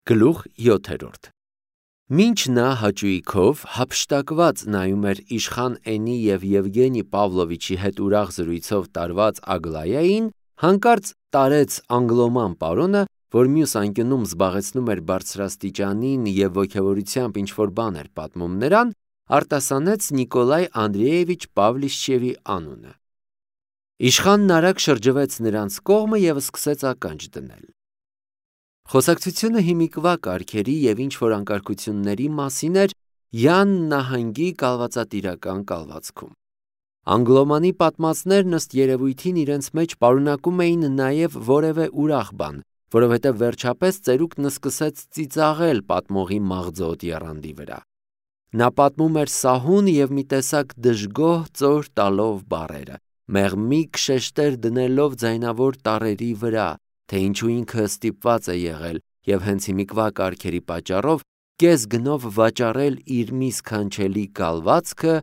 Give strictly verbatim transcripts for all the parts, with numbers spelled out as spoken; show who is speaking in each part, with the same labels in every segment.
Speaker 1: Գլուխ յոթերորդ Մինչ նա հաճույքով հափշտակված նայում էր իշխան Էնի և Եվգենի Պավլովիչի հետ ուրախ զրույցով տարված Ագլայային, հանկարծ տարեց անգլոման պարոնը, որ մյուս անկյունում զբաղեցնում էր բարձրաստիճանին և ոգևորությամբ ինչ-որ բան էր պատմում նրան, արտասանեց Նիկոլայ Անդրեևիչ Պավլիշչևի անունը։ Իշխանն արագ շրջվեց նրանց կողմը և սկսեց ականջ դնել։ Խոսակցությունը հիմիկվա կարգերի և ինչ-որ անկարգությունների մասին էր Յան նահանգի կալվածատիրական կալվածքում։ Անգլոմանի պատմածներն ըստ երևույթին իրենց մեջ պարունակում էին նաև որևէ ուրախ բան, որովհետև վերջապես ծերուկն սկսեց ծիծաղել պատմողի մաղձոտ եռանդի վրա։ Նա պատմում էր սահուն և մի տեսակ դժգոհ ծոր տալով բառերը, մեղմիկ շեշտեր դնելով ձայնավոր տառերի վրա, թե ինչու ինքը ստիպված է եղել և հենց հիմիկվա կարգերի պատճառով կես գնով վաճառել իր մի սքանչելի կալվածքը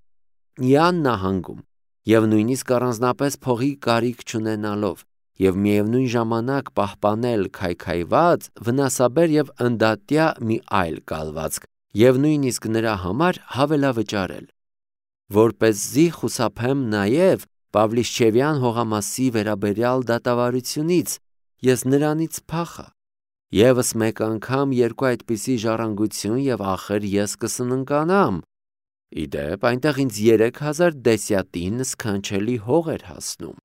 Speaker 1: Յան նահանգում և նույնիսկ առանձնապես փողի կարիք չունենալով և միևնույն ժամանակ պահպանել քայքայված, վնասաբեր և ընդատյա մի այլ կալվածք և նույնիսկ նրա համար հավելավճարել։ Որպեսզի խուսափեմ նաև Պավլիշչևյան հողամասի վերաբերյալ դատավարությունից, ես նրանից փախա։ Եվս մեկ անգամ երկու այդպիսի ժառանգություն և ախր ես կսննկանամ։ Ի դեպ, այնտեղ ինձ երեք հազար դեսյատին սքանչելի հող էր հասնում։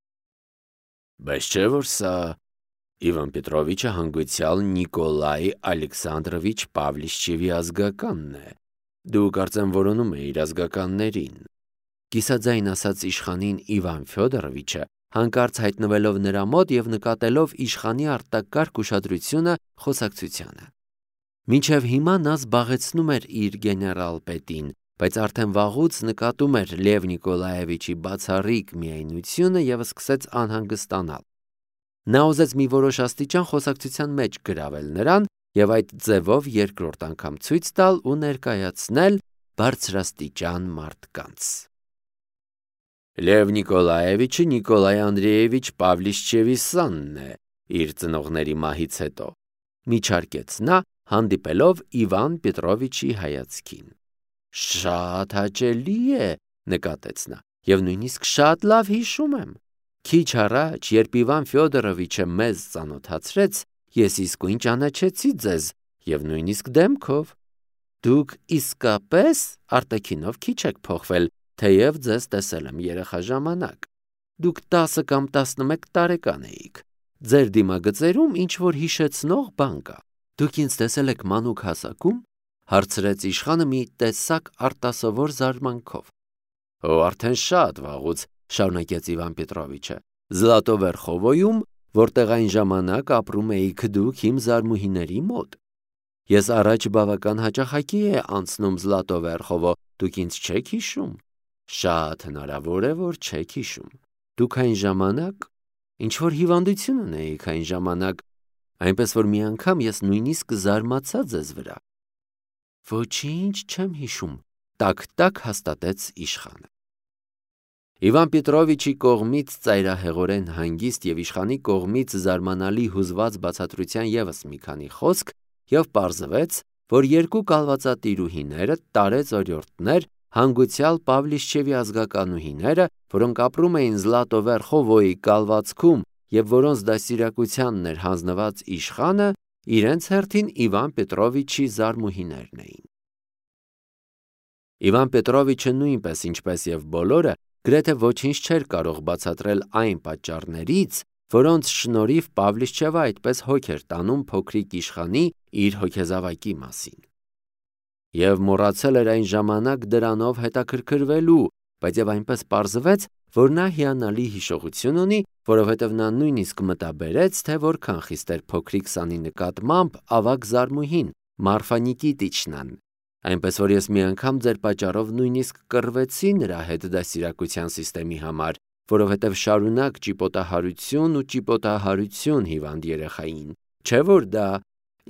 Speaker 1: Բայց չէ՞ որ սա Իվան Պետրովիչը հանգուցյալ Նիկոլայ Ալեքսանդրովիչ Պավլիշչևի ազգականն է։ Դու կարծեմ որոնում էիր ազգականներին։ Կիսաձայն ասաց իշխանին Իվան Ֆյոդորովիչը, հանկարծ հայտնվելով նրա մոտ և նկատելով իշխանի արտակարգ ուշադրությունը խոսակցությանը։ Մինչև հիմա նա զբաղեցնում էր իր գեներալ-պետին, բայց արդեն վաղուց նկատում էր Լև Նիկոլաևիչի բացառիկ միայնությունը և սկսեց անհանգստանալ։ Նա ուզեց մի որոշ աստիճան խոսակցության մեջ գրավել նրան և այդ ձևով երկրորդ անգամ ցույց տալ ու ներկայացնել բարձրաստիճան մարդկանց։ Լև Նիկոլաևիչը Նիկոլայ Անդրեևիչ Պավլիշչևի սանն է իր ծնողների մահից հետո, միջարկեց նա, հանդիպելով Իվան Պետրովիչի հայացքին։ Շատ հաճելի է, նկատեց նա, և նույնիսկ շատ լավ հիշում եմ։ Քիչ առաջ, երբ Իվան Ֆյոդորովիչը մեզ ծանոթացրեց, ես իսկույն ճանաչեցի ձեզ և նույնիսկ դեմքով։ Դուք իսկապես արտաքինով քիչ եք փոխվել, թեև ձեզ տեսել եմ երեխա ժամանակ։ Դուք տասը կամ տասնմեկ տարեկան էիք։ Ձեր դիմագծերում ինչ-որ հիշեցնող բան կա։ Դուք ինձ տեսել եք մանուկ հասակու՞մ, հարցրեց իշխանը մի տեսակ արտասովոր զարմանքով։ Օ, արդեն շատ վաղուց, շարունակեց Իվան Պետրովիչը, Զլատովերխովոյում, որտեղ այն ժամանակ ապրում էիք դուք իմ զարմուհիների մոտ։ Ես առաջ բավական հաճախակի է անցնում Զլատովերխովո, դուք ինձ չեք հիշում։ Շատ հնարավոր է, որ չեք հիշում։ Դուք այն ժամանակ ինչ-որ հիվանդություն ունեիք այն ժամանակ, այնպես որ մի անգամ ես նույնիսկ զարմացա ձեզ վրա։ Ոչինչ չեմ հիշում, տաք-տաք հաստատեց իշխանը։ Իվան Պետրովիչի կողմից ծայրահեղորեն հանգիստ և իշխանի կողմից զարմանալի հուզված բացատրության ևս մի քանի խոսք, և պարզվեց, որ երկու կալվածատիրուհիները տարեց-օրիորդներ, հանգուցյալ Պավլիշչևի ազգականուհիները, որոնք ապրում էին Զլատովերխովոյի կալվածքում և որոնց դաստիարակությանն էր հանձնված իշխանը, իրենց հերթին Իվան Պետրովիչի զարմուհիներն էին։ Իվան Պետրովիչը նույնպես, ինչպես և բոլորը, գրեթե ոչինչ չէր կարող բացատրել այն պատճառներից, որոնց շնորհիվ Պավլիշչևը այդպես հոգ էր տանում փոքրիկ իշխանի իր հոգեզավակի մասին։ Եվ մոռացել էր այն ժամանակ դրանով հետաքրքրվելու, բայց և այնպես պարզվեց, որ նա հիանալի հիշողություն ունի, որովհետև նա նույնիսկ մտաբերեց, թե որքան խիստ էր փոքրիկ սանի նկատմամբ ավագ զարմուհին Մարֆա Նիկիտիչնան, այնպես որ ես մի անգամ ձեր պատճառով նույնիսկ կռվեցի նրա հետ դաստիարակության սիստեմի համար, որովհետև շարունակ ճիպոտահարություն ու ճիպոտահարություն հիվանդ երեխային, չէ՞ որ դա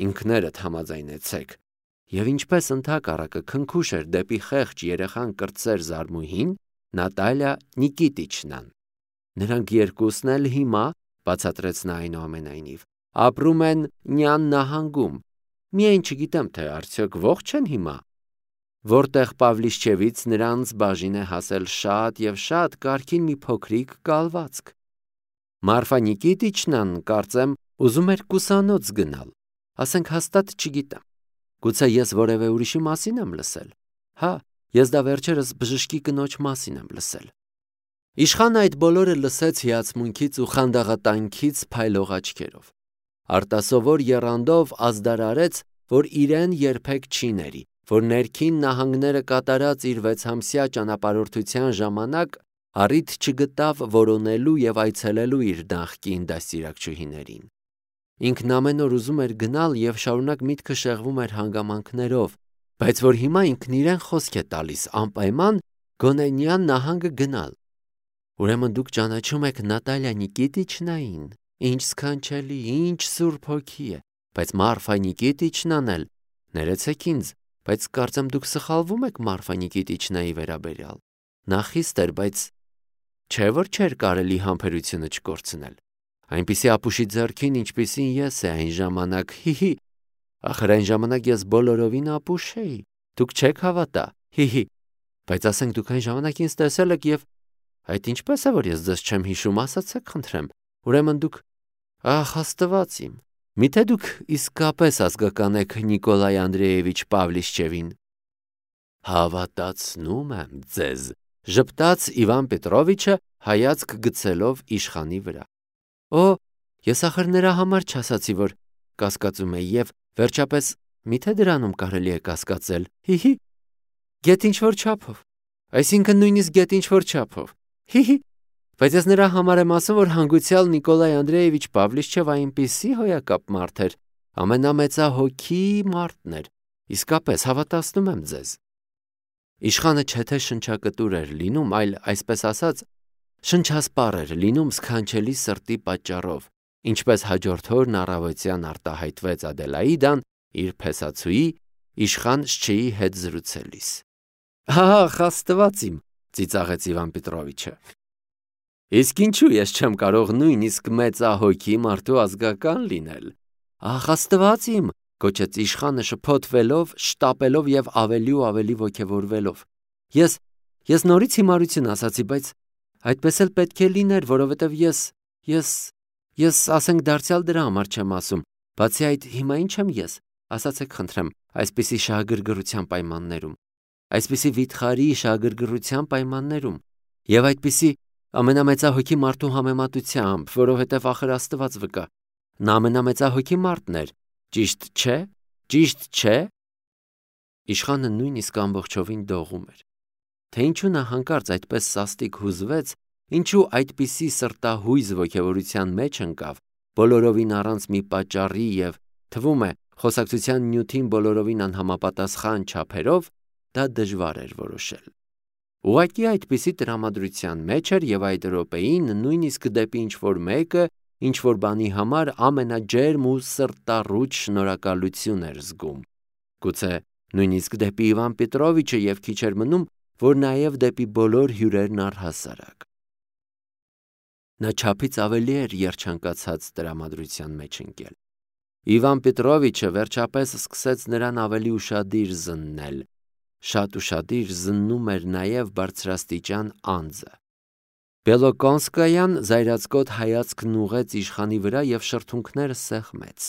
Speaker 1: ինքներդ համաձայնեցեք։ Եվ ինչպես ընդհակառակը քնքուշ էր դեպի խեղճ երեխան կրտսեր զարմուհին Նատալիա Նիկիտիչնան։ Նրանք երկուսն էլ հիմա, բացատրեց նա այնուամենայնիվ, ապրում են Նյան նահանգում Միայն չգիտեմ, թե արդյոք ողջ են հիմա։ Որտեղ Պավլիշչևից նրանց բաժին է հասել շատ եւ շատ կարգին մի փոքրիկ կալվածք։ Մարֆա Նիկիտիչնան, կարծեմ, ուզում էր կուսանոց գնալ, ասենք հաստատ չգիտեմ։ Գուցե ես որևէ ուրիշի մասին եմ լսել։ Հա, ես դա վերջերս բժշկի կնոջ մասին եմ լսել։ Իշխանը այդ բոլորը լսեց հիացմունքից ու խանդաղատանքից փայլող աչքերով։ Արտասովոր եռանդով ազդարարեց, որ իրեն երբեք չի ների, որ ներքին նահանգները կատարած իր վեցամսյա ճանապարհորդության ժամանակ առիթ չգտավ որոնելու եւ այցելելու իր նախկին դաստիարակչուհիներին։ Ինքն ամեն օր ուզում էր գնալ եւ շարունակ միտքը շեղվում էր հանգամանքներով, բայց որ հիմա ինքն իրեն խոսք է տալիս անպայման Գոնենյան նահանգը գնալ։ Ուրեմն դուք ճանաչում եք Նատալիա Նիկիտիչնային, ինչ սքանչելի, ինչ սուրբ հոգի է, բայց Մարֆա Նիկիտիչնան էլ, ներեցեք ինձ, բայց կարծեմ դուք սխալվում եք Մարֆա Նիկիտիչնայի վերաբերյալ։ Նա խիստ էր, բայց չէ՞ որ չէր կարելի համբերությունը չկորցնել։ Այնպիսի ապուշի ձեռքին, ինչպիսին ես է այն ժամանակ, հիհի, ախր այն ժամանակ ես բոլորովին ապուշ էի, դուք չեք հավատա, հիհի, բայց ասենք դուք այն ժամանակ ինձ տեսել եք եւ այդ ինչպես է, որ ես ձեզ չեմ հիշում, ասացեք խնդրեմ, ուրեմն դուք, ախ Աստված իմ, միթե դուք իսկապես ազգական եք Նիկոլայ Անդրեևիչ Պավլիշչևին։ Հավատացնում եմ ձեզ, ժպտաց Իվան Պետրովիչը հայացք գցելով իշխանի վրա։ Օ, ես ախր նրա համար չասացի, որ կասկածում էի եւ վերջապես միթե դրանում կարելի է կասկածել, հիհի, գետ ինչ-որ չափով, այսինքն նույնիսկ գետ ինչ-որ չափով, հիհի, բայց ես նրա համար եմ ասում, որ հանգուցյալ Նիկոլայ Անդրեևիչ Պավլիշչև այնպիսի հոյակապ մարդ էր, ամենամեծահոգի մարդն էր, իսկապես հավատացնում եմ ձեզ։ Իշխանը չէ թե շնչակտուր էր լինում, այլ այսպես ասած, շնչասպառ էր լինում սքանչելի սրտի պատճառով, ինչպես հաջորդ օրն առավոտյան արտահայտվեց Ադելաիդան իր փեսացուի իշխան Շչեի հետ զրուցելիս։ Ահա, Աստված իմ, ծիծաղեց Իվան Պետրովիչը։ Իսկ ինչու ես չեմ կարող նույնիսկ մեծահոգի մարդու ազգական լինել։ Ահ, Աստված իմ, գոչեց իշխանը շփոթվելով, շտապելով եւ ավելի ու ավելի ոգևորվելով։ Ես ես նորից հիմարություն ասացի, բայց այդպես էլ պետք է լիներ, որովհետեւ ես ես ես ասենք դարձյալ դրա համար չեմ ասում։ Բացի այդ, հիմա ինչ եմ ես, ասացեք խնդրեմ, այսպիսի շահագրգռության պայմաններում, այսպիսի վիթխարի շահագրգռության պայմաններում եւ այդպիսի ամենամեծահոգի մարդու համեմատությամբ, որովհետեւ ախր Աստված վկա, նա ամենամեծահոգի մարդն էր, ճիշտ չէ, ճիշտ չէ։ Իշխանը նույնիսկ ամբողջովին դողում էր, թե ինչու նա հանկարծ այդպես սաստիկ հուզվեց, ինչու այդպիսի սրտահույզ ոգևորության մեջ ընկավ, բոլորովին առանց մի պատճառի եւ թվում է խոսակցության նյութին բոլորովին անհամապատասխան չափերով, դա դժվար էր որոշել։ Ուղղակի այդպիսի տրամադրության մեջ էր եւ այդ րոպեին նույնիսկ դեպի ինչ-որ մեկը, ինչ-որ բանի համար ամենաջերմ ու սրտառուչ շնորհակալություն էր զգում։ Գուցե նույնիսկ դեպի Իվան Պետրովիչը եւ քիչ էր մնում, որ նաեւ դեպի բոլոր հյուրերն առհասարակ։ Նա չափից ավելի էր երջանկացած տրամադրության մեջ ընկել։ Իվան Պետրովիչը վերջապես սկսեց նրան ավելի ուշադիր զննել։ Շատ ուշադիր զննում էր նաև բարձրաստիճան անձը։ Բելոկոնսկայան զայրացկոտ հայացքն ուղեց իշխանի վրա եւ շրթունքները սեղմեց։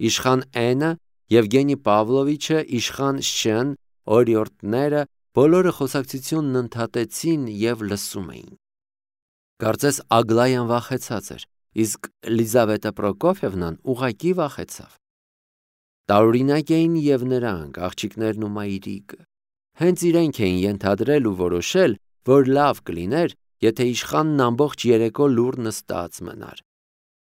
Speaker 1: Իշխան Էնը, Եվգենի Պավլովիչը, իշխան Շեն, օրիորդները բոլորը խոսակցությունն ընդհատեցին եւ լսում էին։ Կարծես Ագլայան վախեցած էր, իսկ Լիզավետա Պրոկոֆևնան ուղակի վախեցավ։ Տարօրինակ էին եւ նրանք, աղջիկներն ու մայրիկը։ Հենց իրենք էին ենթադրել ու որոշել, որ լավ կլիներ, եթե իշխանն ամբողջ երեկո լուռ նստած մնար։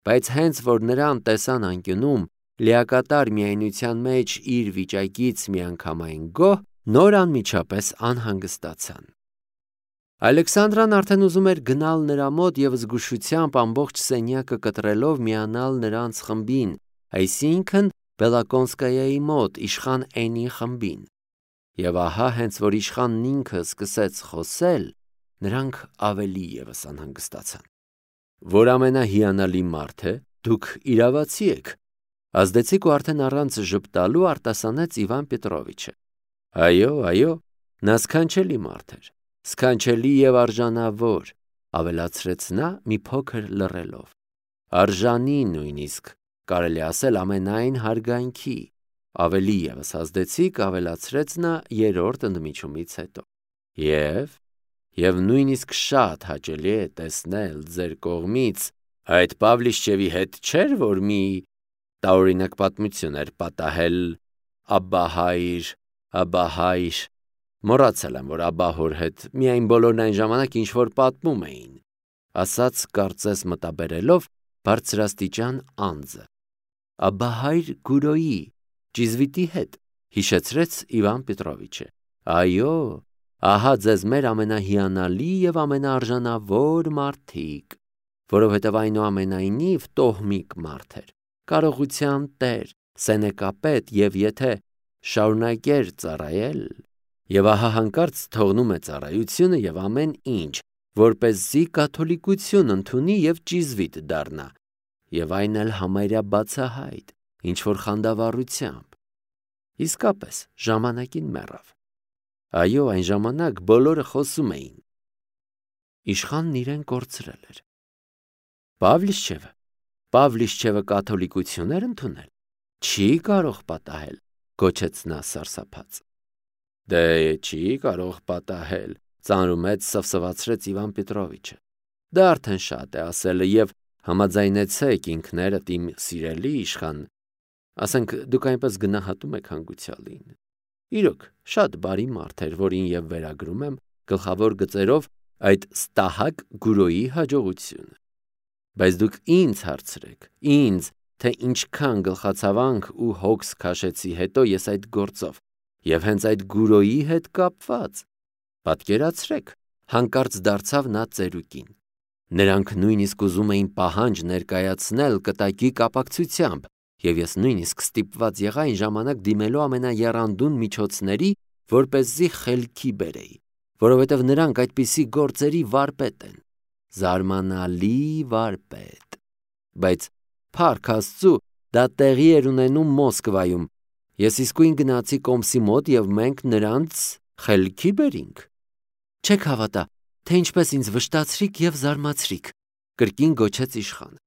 Speaker 1: Բայց հենց որ նրան տեսան անկյունում, լիակատար միայնության մեջ իր վիճակից միանգամայն գոհ, նոր անմիջապես անհանգստացան։ Ալեքսանդրան արդեն ուզում էր գնալ նրա մոտ եւ զգուշությամբ ամբողջ սենյակը կտրելով միանալ նրանց խմբին, այսինքն Բելոկոնսկայայի մոտ իշխան Էնի խմբին։ Եվ ահա հենց որ իշխանն ինքը սկսեց խոսել, նրանք ավելի եւս անհանգստացան։ Որ ամենահիանալի մարդ է, դուք իրավացի եք, Ազդեցիկ ու արդեն առանց ժպտալու արտասանեց Իվան Պետրովիչը. Այո, այո, նա սքանչելի մարդ էր, սքանչելի եւ արժանավոր, ավելացրեց նա մի փոքր լռելով. արժանի նույնիսկ կարելի ասել ամենայն հարգանքի, ավելի եւս ազդեցիկ ավելացրեց նա երրորդ ընդմիջումից հետո. Եվ եւ նույնիսկ շատ հաճելի է տեսնել ձեր կողմից այդ Պավլիշչևի հետ չէր, որ մի տարօրինակ պատմություն էր պատահել Աբբահայր, Աբահայր, մոռացել եմ, որ Աբահոր հետ միայն բոլորն այն ժամանակ ինչ-որ պատմում էին, ասաց կարծես մտաբերելով բարձրաստիճան անձը. Աբահայր Գուրոյի, ճիզվիտի հետ, հիշեցրեց Իվան Պետրովիչը. այո, ահա ձեզ մեր ամենահիանալի եւ ամենաարժանավոր մարդիկ, որովհետեւ այնուամենայնիվ տոհմիկ մարդ էր, կարողության տեր, սենեկապետ եւ եթե շարունակեր ծառայել, եւ ահա հանկարծ թողնում է ծառայությունը եւ ամեն ինչ, որպեսզի կաթոլիկություն ընդունի եւ ճիզվիտ դառնա, եւ այն էլ համարյա բացահայտ, ինչ որ խանդավառությամբ։ Իսկապես ժամանակին մեռավ։ Այո, այն ժամանակ բոլորը խոսում էին։ Իշխանն իրեն կորցրել էր։ Պավլիշչևը, Պավլիշչևը կաթոլիկություն էր ընդունել։ Չի կարող պատահել, գոչեց նա սարսափած։ Դե չի կարող պատահել, ծանրումեծ սվսվացրեց Իվան Պետրովիչը։ Դա արդեն շատ է ասելը եւ համաձայնեցեք ինքներդ իմ սիրելի իշխան, ասենք դուք այնպես գնահատում եք հանգուցյալին։ Իրոք, շատ բարի մարդ էր, որին եւ վերագրում եմ գլխավոր գծերով այդ ստահակ Գուրոյի հաջողությունը։ Բայց դուք ինձ հարցրեք, ինձ, թե ինչքան գլխացավանք ու հոգս քաշեցի հետո ես այդ գործով եւ հենց այդ Գուրոյի հետ կապված։ Պատկերացրեք, հանկարծ դարձավ նա ծերուկին։ Նրանք նույնիսկ ուզում էին պահանջ ներկայացնել կտակի կապակցությամբ, եւ ես նույնիսկ ստիպված եղա այն ժամանակ դիմելու ամենաեռանդուն միջոցների, որպեսզի խելքի բերեի, որովհետեւ նրանք այդպիսի գործերի վարպետ են, զարմանալի վարպետ։ Բայց փառք Աստծու, դա տեղի էր ունենում Մոսկվայում։ Ես իսկույն գնացի Կոմսի մոտ եւ մենք նրանց խելքի բերինք։ Չեք հավատա, թե ինչպես ինձ վշտացրիք եւ զարմացրիք, կրկին գոչեց իշխանը։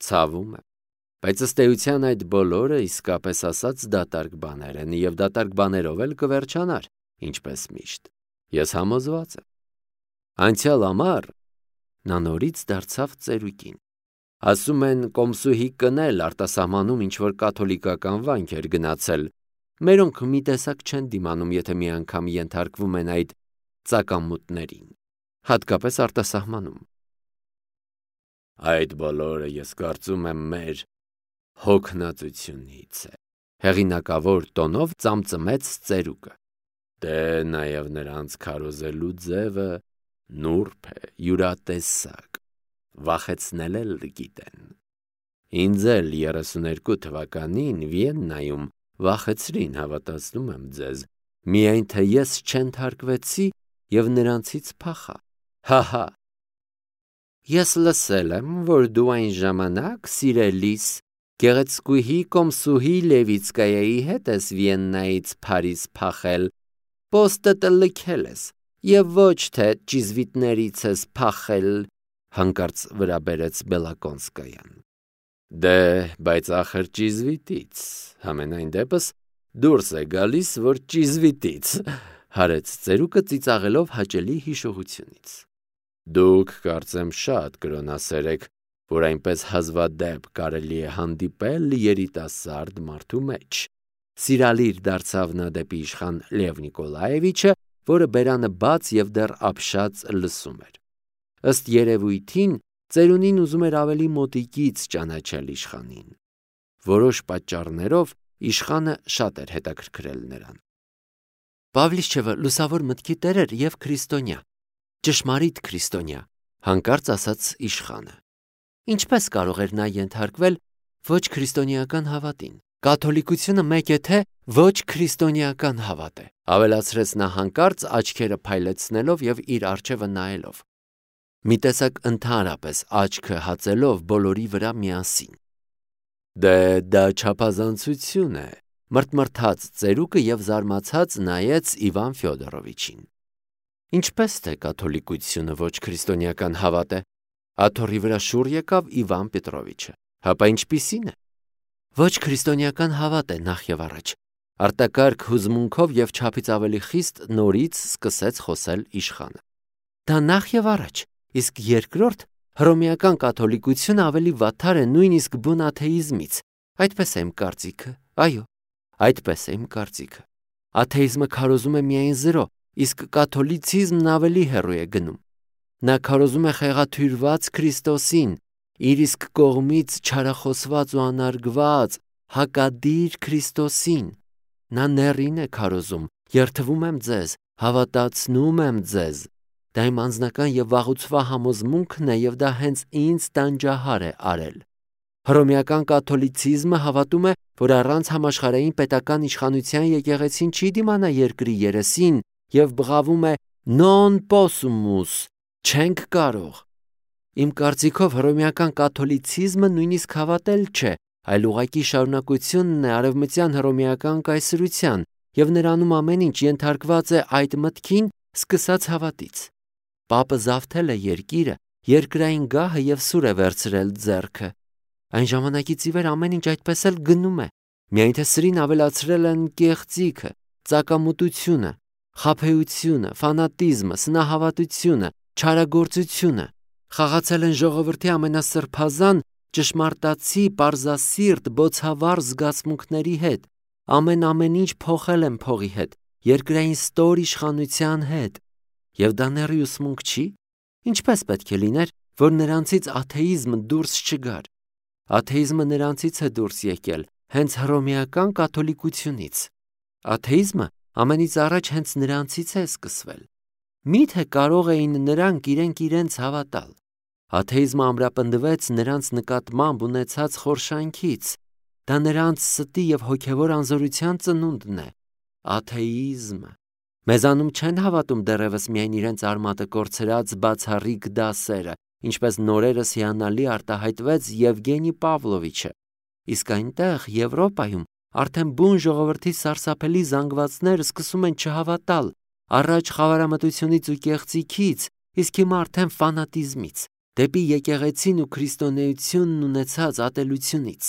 Speaker 1: Ցավում եմ, բայց ըստ էության այդ բոլորը իսկապես ասած դատարկ բաներ են եւ դատարկ բաներով էլ կվերջանար, ինչպես միշտ։ Ես համոզված եմ։ Անցյալ ամառ նա նորից դարձավ ծերուկին։ Ասում են Կոմսուհի կնել արտասահմանում ինչ-որ կաթոլիկական վանք էր գնացել։ Մերոնք մի տեսակ չեն դիմանում, եթե մի անգամ ենթարկվում են այդ ծակամուտներին, հատկապես արտասահմանում։ Այդ բոլորը ես կարծում եմ մեր հոգնածությունից է, հեղինակավոր տոնով ծամծմեց ծերուկը։ Դե նաև նրանց քարոզելու ձևը նուրբ է, յուրատեսակ, վախեցնել էլ գիտեն։ Ինձ էլ երեսուներկու թվականին Վիեննայում վախեցրին, հավատացնում եմ ձեզ, միայն թե ես չենթարկվեցի եւ նրանցից փախա։ Հահա։ Ես լսել եմ, որ դու այն ժամանակ սիրելիս գեղեցկուհի Կոմսուհի Լևիցկայայի հետ ես Վիեննայից Փարիզ փախել, պոստդ լքել ես եւ ոչ թե ճիզվիտներից ես փախել, հանկարծ վրա բերեց Բելակոնսկայան։ Դե, բայց ախր ճիզվիտից, համենայն դեպս դուրս է գալիս, որ ճիզվիտից, հարեց ծերուկը ծիծաղելով հաճելի հիշողությունից։ Դուք կարծեմ շատ կրոնասեր եք, որ այնպես հազվադեպ կարելի է հանդիպել երիտասարդ մարդու մեջ։ Սիրալիր դարձավ նա դեպի իշխան Լև Նիկոլաևիչը, որը բերանը բաց եւ դեռ ապշած լսում էր։ Ըստ երևույթին ծերունին ուզում էր ավելի մոտիկից ճանաչել իշխանին։ Որոշ պատճառներով իշխանը շատ էր հետաքրքրել նրան։ Պավլիշչևը լուսավոր մտքի տեր էր եւ քրիստոնյա, ճշմարիտ քրիստոնյա, հանկարծ ասաց իշխանը։ Ինչպես կարող էր նա ենթարկվել ոչ քրիստոնեական հավատին։ Կաթոլիկությունը մեկ է թե ոչ քրիստոնեական հավատ է, ավելացրեց նա հանկարծ աչքերը փայլեցնելով եւ իր առջևը նայելով։ Մի տեսակ ընդհանրապես աչքը հացելով բոլորի վրա միասին։ Դե դա չափազանցություն է, մրթմրթաց ծերուկը եւ զարմացած նայեց Իվան Ֆյոդորովիչին։ Ինչպես թե կաթոլիկությունը ոչ քրիստոնեական հավատ է, աթոռի վրա շուռ եկավ Իվան Պետրովիչը։ Հապա ինչպիսին է։ Ոչ քրիստոնեական հավատ է նախ եւ առաջ, արտակարգ հուզմունքով եւ չափից ավելի խիստ նորից սկսեց խոսել իշխանը։ Դա նախ եւ առաջ, իսկ երկրորդ հռոմեական կաթոլիկությունը ավելի վատթար է նույնիսկ բուն աթեիզմից։ Այդպես է իմ կարծիքը, այո, այդպես է իմ կարծիքը։ Աթեիզմը քարոզում է միայն զրո, իսկ կաթոլիցիզմն ավելի հեռու է գնում։ Նա քարոզում է խեղաթյուրված Քրիստոսին, իր իսկ կողմից չարախոսված ու անարգված, հակադիր Քրիստոսին։ Նա ներին է քարոզում, երդվում եմ ձեզ, հավատացնում եմ ձեզ։ Դա իմ անձնական եւ վաղուցվա համոզմունքն է եւ դա հենց ինձ տանջահար է արել։ Հռոմեական կաթոլիցիզմը հավատում է, որ առանց համաշխարհային պետական իշխանության եկեղեցին չի դիմանա երկրի երեսին եւ բղավում է non possumus, չենք կարող։ Իմ կարծիքով հռոմեական կաթոլիցիզմը նույնիսկ հավատել չէ, այլ ուղղակի շարունակությունն է արևմտյան հռոմեական կայսրության եւ նրանում ամեն ինչ ենթարկված է այդ մտքին սկսած հավատից։ Պապը զավթել է երկիրը, երկրային գահը եւ սուր է վերցրել ձեռքը։ Այն ժամանակից ի վեր ամեն ինչ այդպես էլ գնում է, միայն թե սրին ավելացրել են կեղծիքը, ծակամուտությունը, խաբեությունը, ֆանատիզմը, սնահավատությունը, չարագործությունը, խաղացել են ժողովրդի ամենասրբազան, ճշմարտացի, պարզասիրտ, բոցավառ զգացմունքների հետ, ամեն ամեն ինչ փոխել են փողի հետ, երկրային ստոր իշխանության հետ։ Եվ դա նեռի ուսմունք չի։ Ինչպես պետք է լիներ, որ նրանցից աթեիզմը դուրս չգար։ Աթեիզմը նրանցից է դուրս եկել, հենց հռոմեական կաթոլիկությունից։ Աթեիզմը ամենից առաջ հենց նրանցից է սկսվել։ Միթե կարող էին նրանք իրենք իրենց հավատալ։ Աթեիզմը ամրապնդվեց նրանց նկատմամբ ունեցած խորշանքից։ Դա նրանց ստի եւ հոգեվոր անզորության ծնունդն է։ Աթեիզմը։ Մեզանում չեն հավատում դեռևս միայն իրենց արմատը կորցրած բացառիկ դասերը, ինչպես նորերս հիանալի արտահայտվեց Եվգենի Պավլովիչը։ Իսկ այնտեղ Եվրոպայում արդեն բուն ժողովրդի սարսափելի զանգվածները սկսում են չհավատալ, առաջ խավարամտությունից ու կեղծիքից, իսկ հիմա արդեն ֆանատիզմից, դեպի եկեղեցին ու քրիստոնեությունն ունեցած ատելությունից։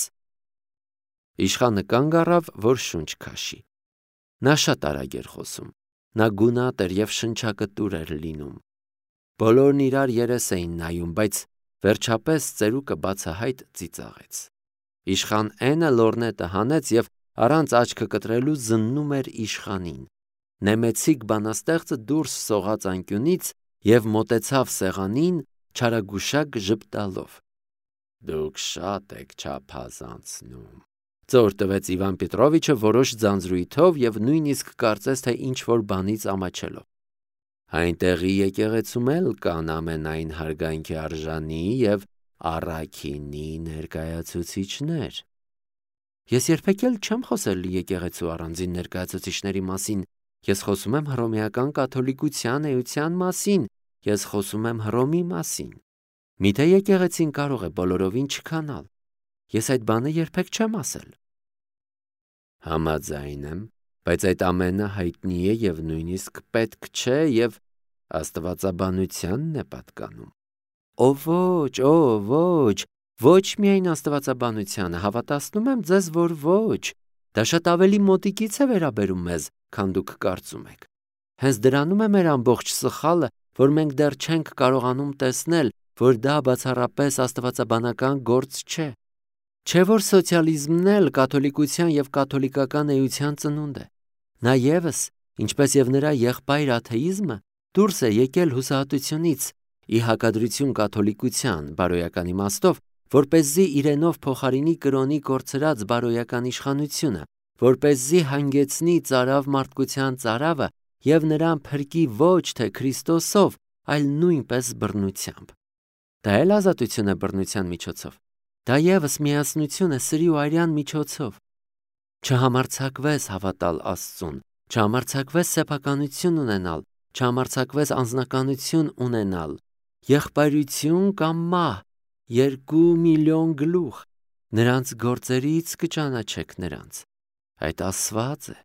Speaker 1: Իշխանը կանգ առավ, որ շունչ քաշի։ Նա շատ արագ էր խոսում։ Նա գունատ էր եւ շնչակտուր էր լինում։ Բոլորն իրար երես էին նայում, բայց վերջապես ծերուկը բացահայտ ծիծաղեց։ Իշխան Էնը լորնետը հանեց եւ առանց աչքը կտրելու զննում էր իշխանին։ Նեմեցիկ բանաստեղծը դուրս սողաց անկյունից եւ մոտեցավ սեղանին, չարագուշակ ժպտալով։ Դուք շատ եք չափազանցնում։ Ծոր տվեց Իվան Պետրովիչը որոշ ձանձրույթով եւ նույնիսկ կարծես թե ինչ որ բանից ամաչելով։ Այնտեղի եկեղեցում էլ կան ամենայն հարգանքի արժանի եւ առաքինի ներկայացուցիչներ։ Ես երբեք էլ չեմ խոսել եկեղեցու առանձին ներկայացուցիչների մասին։ Ես խոսում եմ հռոմեական կաթոլիկության էության մասին։ Ես խոսում եմ Հռոմի մասին։ Միթե եկեղեցին կարող է բոլորովին չքանալ։ Ես այդ բանը երբեք չեմ ասել։ Համաձայն եմ, բայց այդ ամենը հայտնի է եւ նույնիսկ պետք չէ եւ աստվածաբանությանն է պատկանում։ Ո ոչ, ո ոչ, ոչ միայն աստվածաբանությանը, հավատացնում եմ ձեզ, որ ոչ։ Դա շատ ավելի մոտիկից է վերաբերում մեզ, քան դուք կարծում եք։ Հենց դրանում է մեր ամբողջ սխալը, որ մենք դեռ չենք կարողանում տեսնել, որ դա բացառապես աստվածաբանական գործ չէ։ Չէ որ սոցիալիզմն էլ կաթոլիկության եւ կաթոլիկական էության ծնունդ է։ Նա եւս, ինչպես եւ նրա եղբայր աթեիզմը, դուրս է եկել հուսահատությունից, ի հակադրություն կաթոլիկության բարոյական իմաստով, որպեսզի իրենով փոխարինի կրոնի կորցրած բարոյական իշխանությունը, որպեսզի հանգեցնի ծարավ մարդկության ծարավը եւ նրան փրկի ոչ թե Քրիստոսով, այլ նույնպես բռնությամբ։ Դա էլ ազատություն է բռնության միջոցով։ Դա եւս միասնություն է սրի ու արյան միջոցով։ Չհամարձակվես հավատալ Աստծուն, չհամարձակվես սեփականություն ունենալ, չհամարձակվես անձնականություն ունենալ, եղբայրություն կամ մահ, երկու միլիոն գլուխ, Նրանց գործերից կճանաչեք նրանց։ Այդ ասված է։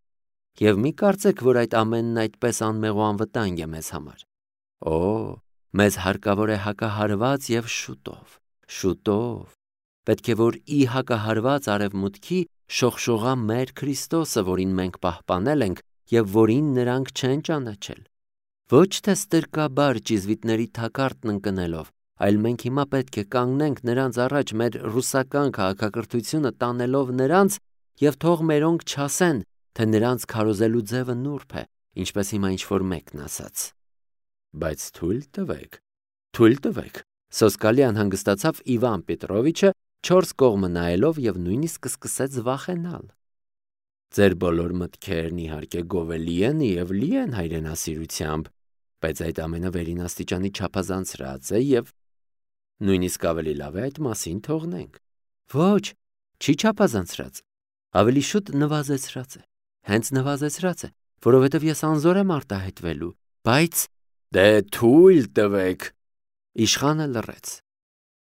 Speaker 1: Եվ մի կարծեք, որ այդ ամենն այդպես անմեղ ու անվտանգ է մեզ համար։ Օ, մեզ հարկավոր է հակահարված և շուտով, շուտով։ Պետք է, որ ի հակահարված արևմուտքի շողշողա մեր Քրիստոսը, որին մենք պահպանել ենք և որին նրանք չեն ճանաչել։ Ոչ թե ստրկաբար ճիզվիտների թակարդն ընկնելով, այլ մենք հիմա պետք է կանգնենք նրանց առաջ մեր ռուսական քաղաքակրթությունը տանելով նրանց և թող մերոնք չասեն, թե նրանց քարոզելու ձևը նուրբ է, ինչպես հիմա ինչ-որ մեկն ասաց։ Բայց թույլ տվեք, թույլ տվեք, սոսկալի անհանգստացավ Իվան Պետրովիչը, չորս կողմը նայելով և նույնիսկ սկսեց վախենալ։ Ձեր բոլոր մտքերն իհարկե գովելի են և լի են հայրենասիրությամբ, բայց այդ ամենը վերին աստիճանի չափազանցրած է և նույնիսկ ավելի լավ է այդ մասին թողնենք։ Ոչ, չի չափազանցրած, ավելի շուտ նվազեցրած է, հենց նվազեցրած է, որովհետև ես անզոր եմ արտահայտվելու, բայց դե թույլ տվեք։ Իշխանը լռեց։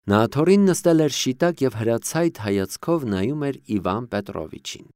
Speaker 1: Նա աթոռին նստել էր շիտակ և հրացայտ հայացքով նայում էր Իվան Պետրովիչին։